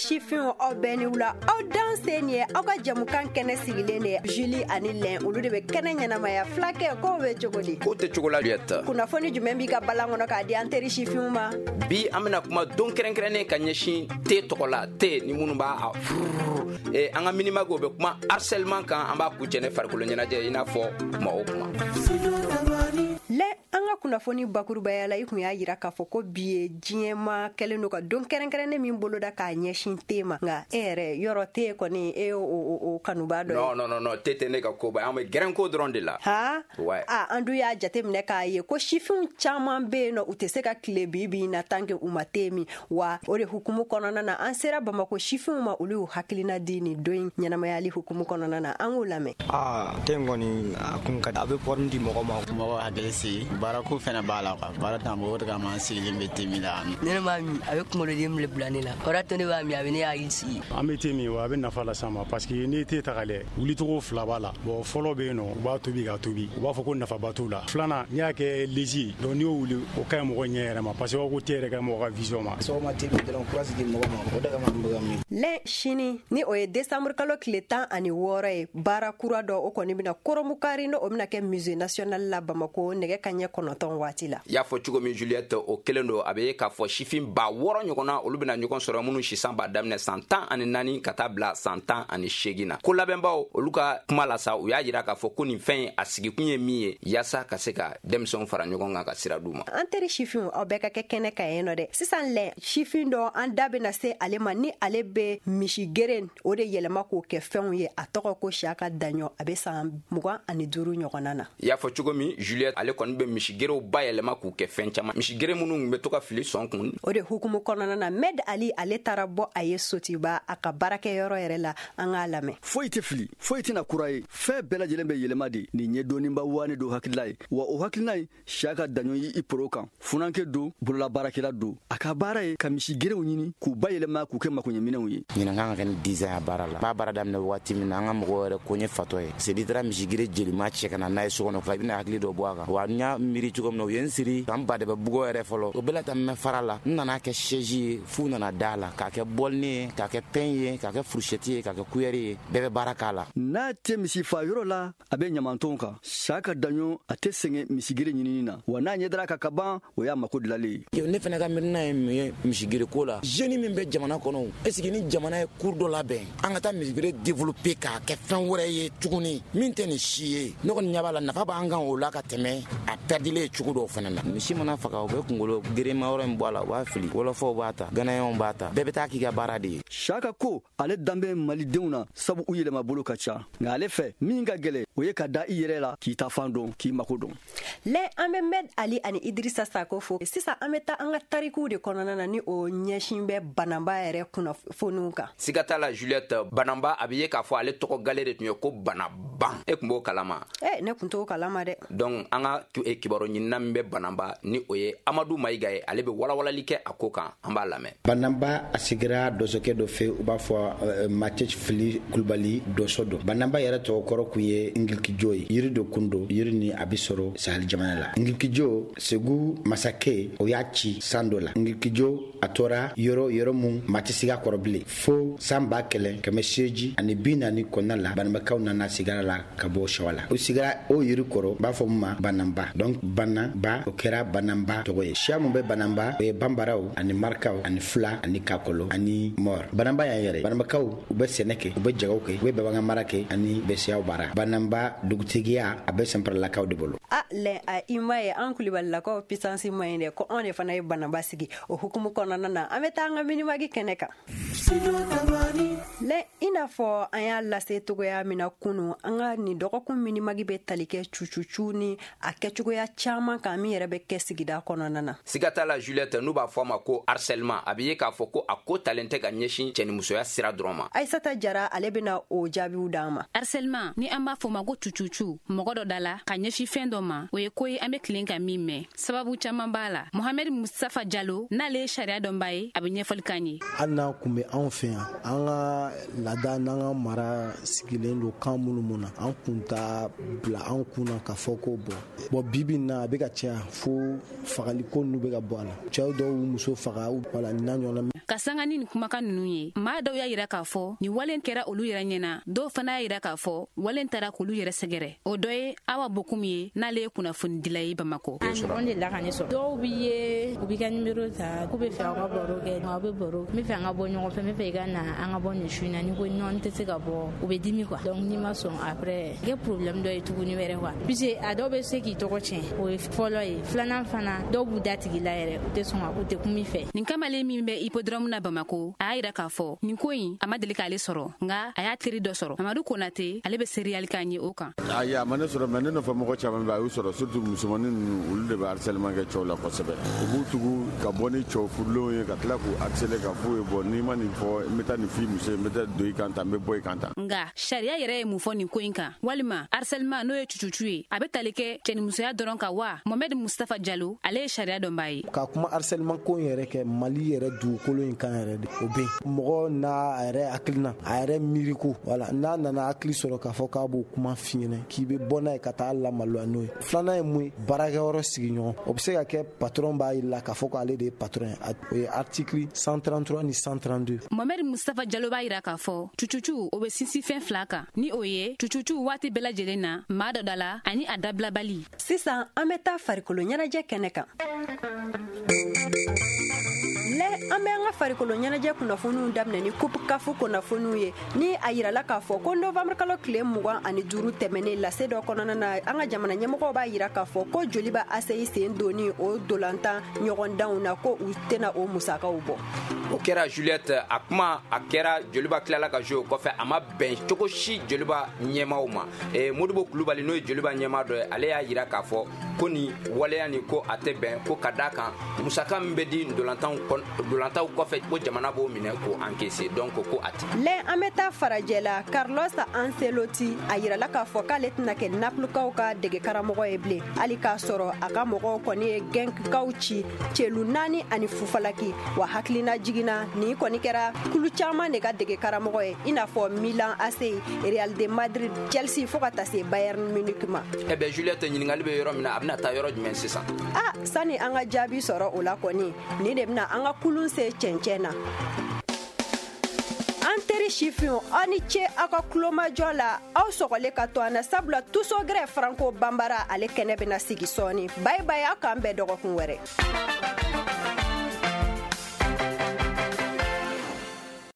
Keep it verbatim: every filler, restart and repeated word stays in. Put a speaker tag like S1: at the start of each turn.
S1: Sifinw, aw bɛɛ ni wula, aw danse. Nin ye aw ka jamukan kɛnɛ sigilen de ye. Julie ani Lɛn, olu de bɛ kɛnɛ ɲɛnamaya. Fulakɛ, kow bɛ cogo di?
S2: Ko tɛ cogo la, Juliette.
S1: Kunnafoni jumɛn b'i ka balan kɔnɔ k'a di an teri sifinw ma?
S2: Bi, an bɛna kuma don kɛrɛnkɛrɛnnen ka ɲɛsin te tɔgɔ la, te ni minnu b'a a fururu. Eh, an ka minimagi, o bɛ kuma harcèlement kan. An b'a kuncɛ ne farikolo ɲɛnajɛ, i n'a fɔ kuma o kuma.
S1: Lɛ, an ka kunnafoni bakurubaya la, i kun y'a yira k'a fɔ ko bi ye diɲɛma kɛlen don ka don kɛrɛnkɛrɛnnen min boloda k'a ɲɛsin te ma. Nka e yɛrɛ yɔrɔ, te kɔni, e y'o o, o kanuba dɔ ye?
S2: Non, non, non, non, te tɛ ne ka koba ye. An bɛ gɛrɛnko dɔrɔn de la.
S1: Ha.
S2: Ouais.
S1: A an dun y'a jateminɛ k'a ye ko sifinw caman be yen nɔ, u tɛ se ka tile bi bi in na tant que u ma te min. Wa o de hukumu kɔnɔna na, an sera Bamako sifinw ma, olu y'u hakilina di nin don in ɲɛnamayali hukumu kɔnɔna na. An k'u lamɛn.
S3: Aa, te in kɔni, a kun ka di, a bɛ forme di mɔgɔ ma.
S4: Mɔgɔ hakili sigi, baarako fɛnɛ b'a la quoi. Baara t'an bolo, o de kama an sigilen bɛ te min la.
S5: Ne b'a min, a bɛ kunkolodimi de bila ne la. O de to ne b'a min, a bɛ ne hakili sigi.
S6: An bɛ te min wa, a bɛ nafa las'an ma, parce que n'i ye te ta ka lajɛ, wulicogo fila b'a la. Bon, fɔlɔ bɛ yen nɔ, u b'a tobi k'a tobi, u b'a fɔ ko nafaba t'o la. Filanan, n'i y'a kɛ léger ye, donc n'i y'o wuli, o ka ɲi mɔgɔ ɲɛ yɛrɛ ma, parce que u b'a fɔ ko te yɛrɛ ka ɲi mɔgɔ ka vision ma.
S7: Sɔgɔma te min dɔrɔn, courage di mɔgɔ ma, o de kama an bɛ ka min.
S1: Lɛ, sini ni o ye desanburu kalo tile tan ani wɔɔrɔ ye, baara kura dɔ, o kɔni bɛna koromukari, n'o bɛna kɛ Musée national la Bamako, nɛgɛ ka ɲɛ kɔnɔntɔn waati la.
S2: I y'a fɔ cogo min, Juliette, o kelen don. A bɛ ye k'a fɔ sifin ba wɔɔrɔ ɲɔgɔnna, olu bɛna ɲɔgɔn sɔrɔ, minnu sisan b'a daminɛ san tan ani naani ka taa bila san tan ani seegin na. Ko labɛnbaw, olu ka kuma la sa, u y'a yira k'a fɔ ko nin fɛn in, a sigikun ye min ye, yaasa ka se ka denmisɛnw fara ɲɔgɔn kan ka sira d'u ma.
S1: An teri sifinw, aw bɛɛ ka kɛ kɛnɛ kan yen nɔ dɛ. Sisan lɛ, sifin dɔ, an da bɛna se ale ma, ni ale bɛ misi geren o de yɛlɛma k'o kɛ fɛnw ye. A tɔgɔ ko Siyaka Daɲɔ, a bɛ san mugan ani duuru ɲɔgɔnna na.
S2: I y'a fɔ cogo min, Juliette, ale kɔni bɛ misigerew bayɛlɛma k'u kɛ fɛn caman, misigere minnu bɛ to ka fili sɔn kun.
S1: O de hukumu kɔnɔna na, Med Ali, ale taara bɔ a ye Sotiba, a ka baarakɛyɔrɔ yɛrɛ la. An k'a lamɛn.
S8: Foyi tɛ fili, foyi tɛna kura ye, fɛn bɛɛ lajɛlen bɛ yɛlɛma de. Nin ye dɔnniba waane don hakilila ye wa, o hakilina ye Siyaka Daɲɔ yi i poro kan. Funankɛ don, bololabaarakɛla don. A ka baara ye ka misigerew ɲini k'u bayɛlɛma k'u kɛ makoɲɛminɛw ye.
S7: Ɲinan kan ka kɛ ni dix ans ya baara la. N b'a baara daminɛ waati min na, an ka mɔgɔw yɛrɛ ko n ye fatɔ ye. C'est n'i taara misigere jelima cɛ ka na n'a ye so kɔnɔ, i bɛna hakili dɔ bɔ a kan wa. N y'a miiri cogo min na, u ye n siri ka n ba de bɛ bugɔ yɛrɛ fɔlɔ. O bɛɛ la ta, n mɛ fara la, n nana kɛ chaise ye, f'u nana da la, k'a kɛ bɔlini ye, k'a kɛ pain ye, k'a kɛ fourchette ye, k'a kɛ cuillère ye, bɛɛ bɛ baara k'a la.
S8: N'a tɛ misi fa yɔrɔ la, a bɛ ɲamantonw kan. Siyaka Daɲɔ, a tɛ sɛgɛn misigere ɲinini na wa, n'a ɲɛ dara ka ka ban, o y'a mako dilalen
S7: ye. Ne fana ka miirina ye mun ye misigere ko la? Jeune min bɛ jamana kɔnɔ, est ce que ni jamana ye cours dɔ labɛn, an ka taa misigere développer k'a kɛ fɛn wɛrɛ ye tuguni min tɛ nin si ye? Ne kɔni ɲɛ b'a la, nafa b'an kan o la ka tɛmɛ a pɛrɛdilen cogo dɔw fana na. Misi mana faga, u bɛ kunkolo gerenma yɔrɔ in bɔ a la, u b'a fili. Wɔlɔfɔw b'a ta, ganayɛnw b'a ta, bɛɛ bɛ taa k'i ka baara de ye.
S8: Siyaka ko ale danbɛ malidenw na, sabu u yɛlɛma bolo ka ca. Nka ale fɛ, min ka gɛlɛ, o ye ka da i yɛrɛ la, k'i ta fan dɔn, k'i mako dɔn.
S1: Lɛ, an bɛ Med Ali ani Idirisa Sako fo. Sisan an bɛ taa an ka tarikuw de kɔnɔna na, ni o ɲɛsin bɛ Bananba yɛrɛ kunnafoniw kan.
S2: Siga t'a la, Juliette, Bananba, a bɛ ye k'a fɔ ale tɔgɔ gale de tun ye ko Banaban. E tun b'o kalama?
S1: Eh, ne tun t'o kalama dɛ.
S2: Donc an ka kibaru ɲinina min bɛ Bananba, ni o ye Amadu Mayiga ye, ale bɛ walawalali kɛ a ko kan. An b'a lamɛn.
S9: Bananba, a sigira dɔsɔkɛ dɔ fɛ, u b'a fɔ Matɛ Fili Kulubali, dɔsɔ don. Bananba yɛrɛ tɔgɔ kɔrɔ kun ye Ngilikijo ye. Yiri dɔ kun don, yiri ni a bɛ sɔrɔ Sahel jamana la. Ngilikijo, Segu masakɛ, o y'a ci san dɔ la. Ngilikijo, a tora yɔrɔ yɔrɔ mun maa tɛ sigi a kɔrɔ bilen, fo san ba kɛlɛ kɛmɛ seegin ani bi naani kɔnɔna la, Bananbakaw nana sigara la ka bɔ Sɛwa la. O sigira o yiri kɔrɔ, u b'a fɔ mun ma Bananba. Donc Bananba, o kɛra Bananba tɔgɔ ye. Siya mun bɛ Bananba, o ye Banbaraw ani Marikaw ani Fula ani Kakɔlɔ ani Mɔr. Bananba y'an yɛrɛ, Bananbakaw, u bɛ sɛnɛ kɛ, u bɛ jago kɛ, u bɛ bagan mara kɛ ani bɛ siyaw baara. Bananba dugutigiya, a bɛ Sanparalakaw de bolo.
S1: A lɛ, a i ma ye, an Kulibalilakaw puissance ma ɲi dɛ, ko anw de fana ye Bananba sigi. O hukumu kɔnɔna na, an bɛ taa an ka minimagi kɛnɛ kan. Lɛ, i n'a fɔ an y'a lase togoya min na kunu, an ka nin dɔgɔkun minimagi bɛ tali kɛ cucucu ni a kɛcogoya caman kan min yɛrɛ bɛ kɛ sigida kɔnɔna na.
S2: Siga t'a la, Juliette, n'u b'a fɔ a ma ko harcèlement, a bɛ ye k'a fɔ ko a ko talen tɛ ka ɲɛsin cɛnimusoya sira dɔrɔn ma.
S1: Aisata Jara, ale bɛna o jaabiw d'an ma.
S10: Harcèlement, ni an b'a fɔ ma ma ko cucucu mɔgɔ dɔ da la ka ɲɛsin fɛn dɔ ma, o ye ko ye an be tilen ka min mɛn. Sababu caaman b'a la. Mohamed Mustafa Jalo, n'ale ye sariya dɔnba ye, a be ɲɛfɔli k'an ye.
S11: Hali n'a kun be anw fɛ yan, an ka laada n'an ka mara sigilen don kan minnu mun na, an kun t'a bila an kun na k'a fɔ ko bɔn bɔn bibi na a bɛ ka caya fo fagaliko ninnu bɛ ka bɔ a la. Cɛw dɔw y'u muso faga, wala n'a ɲɔgɔnna.
S10: Ka sanga ni nin kumakan ninnu ye, maa dɔw y'a yira k'a fɔ nin wale kɛra olu yɛrɛ ɲɛna, dɔw fana y'a yira k'a fɔ wale taara k'olu yɛrɛ sɛgɛrɛ. O dɔ ye Awa Bokum ye, n'ale ye kunnafonidila ye Bamakɔ.
S12: A ɲɔgɔn delila ka ne sɔrɔ. Dɔw b'i ye, u b'i ka nimero ta, k'u bɛ fɛ aw ka baro kɛ, aw bɛ baro, n bɛ fɛ an ka bɔ ɲɔgɔn fɛ, n bɛ fɛ i ka na an ka bɔ nin su in na, ni ko non n tɛ se ka bɔ, u bɛ dimi quoi. Donc n'i ma sɔn après, kɛ problème dɔ ye tuguni wɛrɛ quoi. Puisque a dɔw bɛ se k'i tɔgɔ tiɲɛ, o ye fɔlɔ ye. Filanan fana, dɔw b'u da tigi la yɛrɛ, u tɛ sɔn ka, u tɛ kuma i fɛ.
S10: Nin kamalen min bɛ hippodrome na Bamako, a y'a yira k'a fɔ nin ko in a ma deli k'ale sɔrɔ, nka a y'a teri dɔ sɔrɔ. Mamadu Konate, ale bɛ seriyali k'an ye o kan.
S13: Ayi, a ma ne sɔrɔ, mais ne nɔfɛ mɔgɔ caman bɛ, a y'u sɔrɔ, surtout musomanin ninnu, olu de bɛ harcèlement kɛ cɛw la kosɛbɛ. U b'u tugu ka bɔ ni cɛw furulenw ye, ka tila k'u harceler ka f'u ye bɔn n'i ma nin fɔ, n bɛ taa nin f'i muso ye, n bɛ taa don i kan tan, n bɛ bɔ i kan tan.
S10: Nka sariya yɛrɛ ye mun fɔ nin ko in kan? Walima harcèlement n'o ye cucucu ye, a bɛ tali kɛ cɛnimusoya dɔrɔn kan wa? Mohamed Mustafa Jalo, ale ye sariya dɔnbaa ye.
S11: Ka kuma harcèlement ko in yɛrɛ kɛ Mali yɛrɛ dugukolo in kan yɛrɛ de, o bɛ yen. Mɔgɔ n'a yɛrɛ hakilina, a yɛrɛ miiriko, wala n'a nana hakili sɔrɔ k'a fɔ k'a b'o kuma f'i ɲɛna, k'i bɛ bɔ n'a ye ka taa lamaloya n'o ye. Filanan ye mun ye? Baarakɛyɔrɔ sigiɲɔgɔn, o bɛ se ka kɛ patron b'a yira k'a fɔ k'ale de ye patron ye, o ye article cent trente-trois ni cent trente-deux.
S10: Mohamed Mustafa Jalo b'a yira k'a fɔ cucucu o bɛ sinsin fɛn fila kan, ni o ye cucucu waati bɛɛ lajɛlen na maa dɔ da la ani a dabilabali.
S1: Sisan an bɛ taa farikolo ɲɛnajɛ kɛnɛ kan. Lɛ, an bɛ an ka farikolo ɲɛnajɛ kunnafoniw daminɛ ni coupe CAF kunnafoniw ye, ni a yirala k'a fɔ ko novembre kalo tile mugan ani duuru tɛmɛnen lase dɔ kɔnɔna na, an ka jamana ɲɛmɔgɔw b'a yira k'a fɔ ko Joliba A C I sen donni o dolantan ɲɔgɔndanw na, ko u tɛna o musakaw bɔ.
S2: O kɛra Juliette, a kuma a kɛra Joliba tilala ka jouer o kɔfɛ, a ma bɛn cogo si Joliba ɲɛmaaw ma. E, Modibo Kulubali n'o ye Joliba ɲɛmaa dɔ ye, ale y'a yira k'a fɔ ko nin waleya nin ko a tɛ bɛn, ko ka d'a kan musaka min bɛ di dolantanw dolantaw kɔfɛ ko jamana b'o minɛ k'o encaisser, donc ko a tɛ.
S1: Lɛ, an bɛ taa farajɛ la. Carlos Ancelotti, a yirala k'a fɔ k'ale tɛna kɛ Naples-kaw ka dege karamɔgɔ ye bilen, hali k'a sɔrɔ a ka mɔgɔw kɔni ye Genk-kaw ci celu naani ani fufalaki. Wa hakilina jiginna, nin kɔni kɛra kulu caman de ka dege karamɔgɔ ye, i n'a fɔ Milan A C, Real de Madrid, Chelsea, fo ka taa se Bayern Munich ma.
S2: Eh ben Juliette, ɲininkali bɛ yɔrɔ min na, a bɛna taa yɔrɔ jumɛn sisan?
S1: Ah, sani an ka jaabi sɔrɔ o la kɔni, nin de bɛna an ka kulun se cɛncɛn na. An teri sifinw, aw ni ce aw ka kulomajɔ la, aw sɔgɔlen ka to an na, sabula Tusogɛrɛ Franco Banbara ale kɛnɛ bɛna sigi sɔɔni. Bayi bayi, aw k'an bɛn dɔgɔkun wɛrɛ.